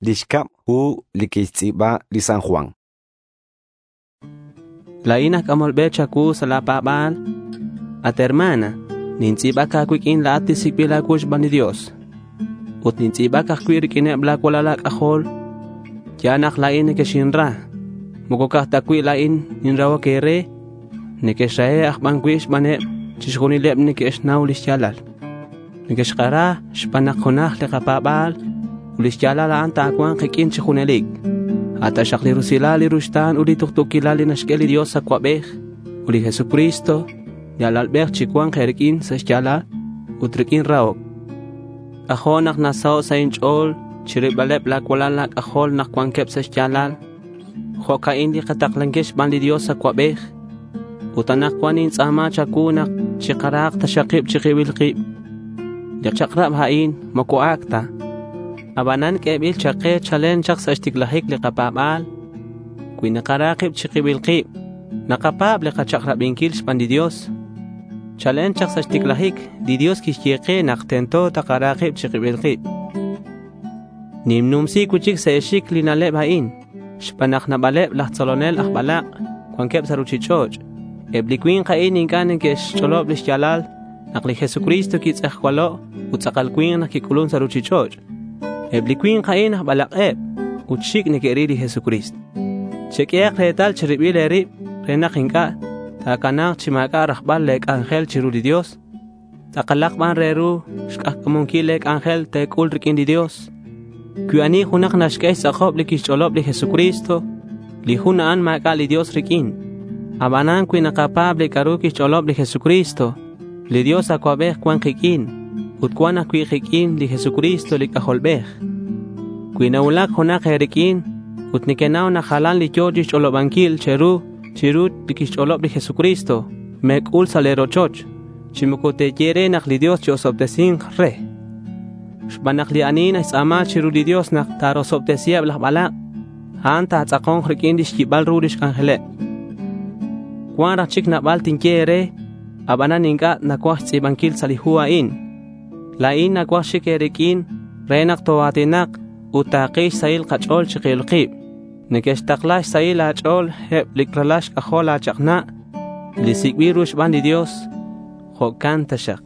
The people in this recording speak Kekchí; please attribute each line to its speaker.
Speaker 1: Li xcab hu li quixtz'i̱ba li San Juan.
Speaker 2: La̱in aj c'amol be cha̱cuu sa' la̱ pa̱ba̱l. At hermana, nintz'i̱bac a̱cuiq'uin la̱at li sic'bil a̱cuu xban li Dios. Ut nintz'i̱bac ajcui' riq'uineb la̱ cualal a̱c'ajol. Ya̱l nak la̱in nequexinra. Moco ca'aj ta cui' la̱in ninrahoc e̱re. Nequexrahe' aj ban cui' xbaneb chixjunileb neque'xnau li xya̱lal. Nequexkara xban nak junaj li kapa̱ba̱l ut li xya̱lal a'an ta̱cua̱nk kiq'uin chi junelic. A' taxak li rusilal, li ruxta̱n ut li tuktu̱quilal li naxq'ue li Dios Acuabej ut li Jesucristo li Alalbej chicua̱nk e̱riq'uin sa' xya̱lal ut riq'uin rahoc. C'ajo' nak nasaho' sa' inch'o̱l chirilbaleb la̱ cualal a̱c'ajol nak cuanqueb sa' xya̱lal. Jo'ca'in li kataklanquil xban li Dios Acuabej. Ut anakcuan nintz'a̱ma cha̱cuu nak chikarahak taxak kib chi kibil kib. Li chak'rab a'in moco ac' ta. Abanan q'uebil chak ke chalen chak sa' xticlajic li kapa̱ba̱l. Cui nakara kib chi kibil kib, nakapa̱b li kachak'rabinquil xban li Dios. Chalen chak sa' xticlajic, li Dios quixye ke nak tento takara kib chi kibil kib. Ninnumsi cui'chic sa' e̱xic li na'leb a'in xban nak nabaleb laj tzolonel aj balak' cuanqueb sa' ruchich'och'. Eb li cui̱nk a'in inc'a' neque'xch'olob li xya̱lal nak li Jesucristo quitz'ejcualo' ut tz'akal cui̱nk nak quic'ulun sa' ruchich'och'. Eb li cui̱nk a'in aj balak'eb ut xic' neque'ril li Jesucristo. Cheq'uehak retal cheribil e̱rib re nak inc'a' ta̱cana̱k chi ma̱c'a' rajbal le̱ c'anjel chiru li Dios. Tz'akalak ban re ru xk'ajca̱munquil le̱ c'anjel te̱c'ul riq'uin li Dios. Cui ani junak naxq'ue xtz'akob li quixch'olob li Jesucristo, li jun a'an ma̱c'a' li Dios riq'uin. Abanan cui nakapa̱b li c'a'ru quixch'olob li Jesucristo, li Dios Acuabej cuan kiq'uin ut cuan ajcui' kiq'uin li Jesucristo li C'ajolbej. Cui nacuulac junak e̱riq'uin ut nequenau nak jalan li yo̱ chixch'olobanquil che̱ru chiru li quixch'olob li Jesucristo, me̱c'ul sa' le̱ rochoch chi moco te̱ye re nak li Dios chi-osobtesi̱nk re. Xban nak li ani naxtz'a̱ma chiru li Dios nak ta̱rosobtesiheb laj balak', a'an ta̱tz'ako̱nk riq'uin lix yibal ru lix c'anjeleb. Cuan raj chic nabal tinye e̱re, abanan inc'a' nacuaj xtz'i̱banquil sa' li hu a'in. La̱in nacuaj xic e̱riq'uin re nak toa̱tinak ut takil xsahil kach'o̱l chi kibil kib. Neque'xtakla xsahil a̱ch'o̱l eb li ralal xc'ajol la̱ chak'na' li sic'bil ru xban li Dios. Jo'can taxak.